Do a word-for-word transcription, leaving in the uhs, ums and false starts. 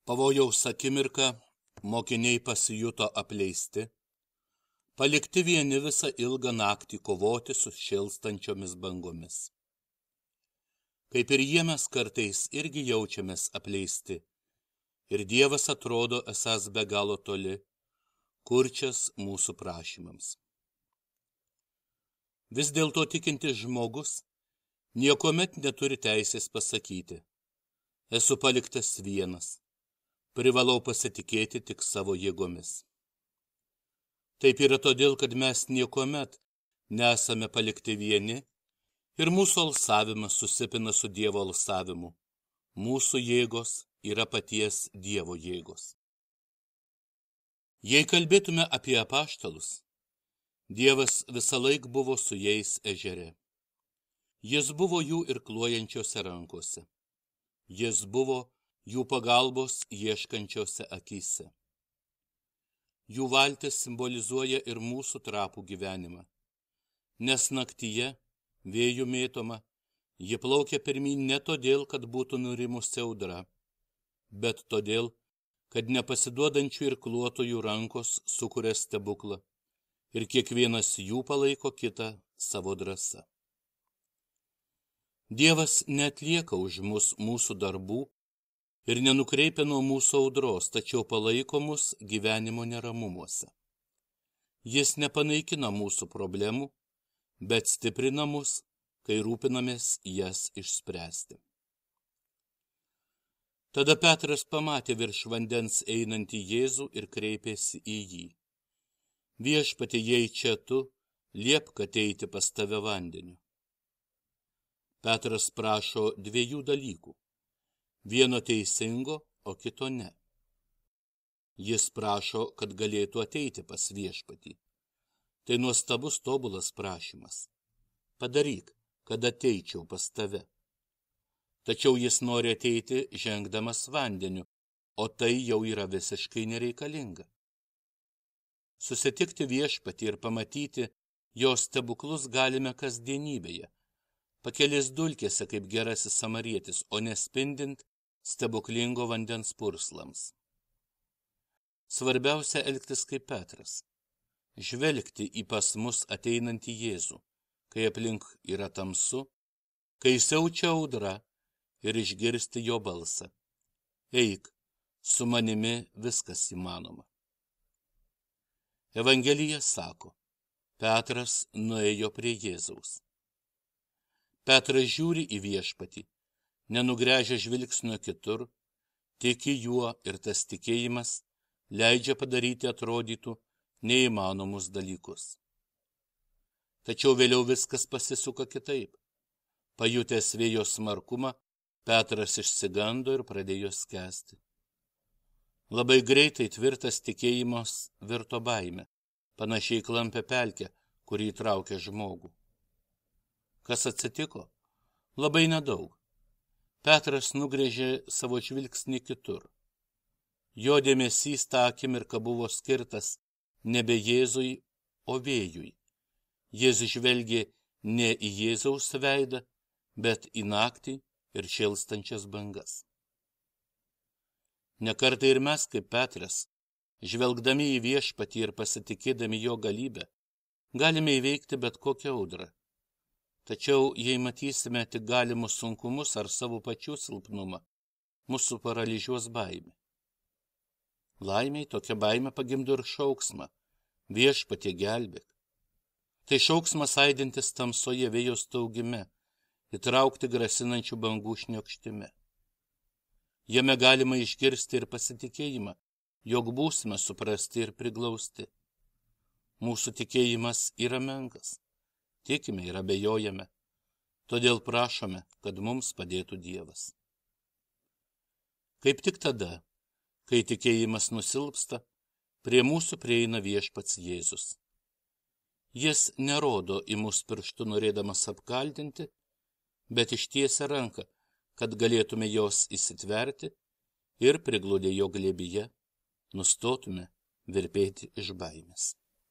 Pavojaus akimirką mokiniai pasijuto apleisti, palikti vieni visą ilgą naktį kovoti su šėlstančiomis bangomis. Kaip ir jie mes kartais irgi jaučiamės apleisti, ir Dievas atrodo esąs be galo toli, kurčias mūsų prašymams. Vis dėlto tikintis žmogus niekuomet neturi teisės pasakyti: esu paliktas vienas, privalau pasitikėti tik savo jėgomis. Taip yra todėl, kad mes niekuomet nesame palikti vieni ir mūsų alsavimas susipina su Dievo alsavimu. Mūsų jėgos yra paties Dievo jėgos. Jei kalbėtume apie apaštalus, Dievas visąlaik buvo su jais ežere. Jis buvo jų irkluojančiose rankose. Jis buvo jų pagalbos ieškančiose akyse. Jų valtis simbolizuoja ir mūsų trapų gyvenimą, nes naktyje, vėjų mėtoma, ji plaukia pirmyn ne todėl, kad būtų nurimusi audra, bet todėl, kad nepasiduodančių irkluotojų rankos sukuria stebuklą ir kiekvienas jų palaiko kitą savo drąsa. Dievas neatlieka už mus mūsų darbų ir nenukreipia nuo mūsų audros, tačiau palaiko mus gyvenimo neramumuose. Jis nepanaikina mūsų problemų, bet stiprina mus, kai rūpinamės jas išspręsti. Tada Petras pamatė virš vandens einantį Jėzų ir kreipėsi į jį: Viešpatie, jei čia tu, liepk ateiti pas tave vandeniu. Petras prašo dviejų dalykų. Vieno teisingo, o kito ne. Jis prašo, kad galėtų ateiti pas viešpatį. Tai nuostabus tobulas prašymas. Padaryk, kad ateičiau pas tave. Tačiau jis nori ateiti žengdamas vandeniu, o tai jau yra visiškai nereikalinga. Susitikti viešpatį ir pamatyti jo stebuklus galime kasdienybėje, pakelės dulkėse kaip gerasis samarietis, o nespindint stebuklingo vandens purslams. Svarbiausia elgtis kaip Petras, žvelgti į pas mus ateinantį Jėzų, kai aplink yra tamsu, kai siaučia audra, ir išgirsti jo balsą: eik, su manimi viskas įmanoma. Evangelija sako: Petras nuėjo prie Jėzaus. Petras žiūri į viešpatį, nenugręžia žvilgsnio kitur, tiki juo, ir tas tikėjimas leidžia padaryti atrodytų neįmanomus dalykus. Tačiau vėliau viskas pasisuka kitaip. Pajutęs vėjo smarkumą, Petras išsigando ir pradėjo skęsti. Labai greitai tvirtas tikėjimas virto baime, panašiai klampia pelkę, kurį traukia žmogų. Kas atsitiko? Labai nedaug. Petras nugrėžė savo žvilgsnį kitur. Jo dėmesys tą akimirką buvo skirtas nebe Jėzui, o vėjui. Jis žvelgė ne į Jėzaus veidą, bet į naktį ir šėlstančias bangas. Nekartai ir mes, kaip Petras, žvelgdami į viešpatį ir pasitikėdami jo galybę, galime įveikti bet kokią audrą. Tačiau, jei matysime tik galimus sunkumus ar savo pačių silpnumą, mūsų paralyžiuos baimė. Laimiai tokia baimė pagimdo ir šauksmą: viešpatie, gelbėk. Tai šauksmas aidintis tamsoje vėjo staugime, įtraukti grasinančių bangų šniokštime. Jame galima išgirsti ir pasitikėjimą, jog būsime suprasti ir priglausti. Mūsų tikėjimas yra menkas, tikime ir abejojame, todėl prašome, kad mums padėtų Dievas. Kaip tik tada, kai tikėjimas nusilpsta, prie mūsų prieina viešpats Jėzus. Jis nerodo į mus pirštu norėdamas apkaltinti, bet ištiesia ranką, kad galėtume jos įsitverti ir prigludę jo glėbyje nustotume virpėti iš baimės.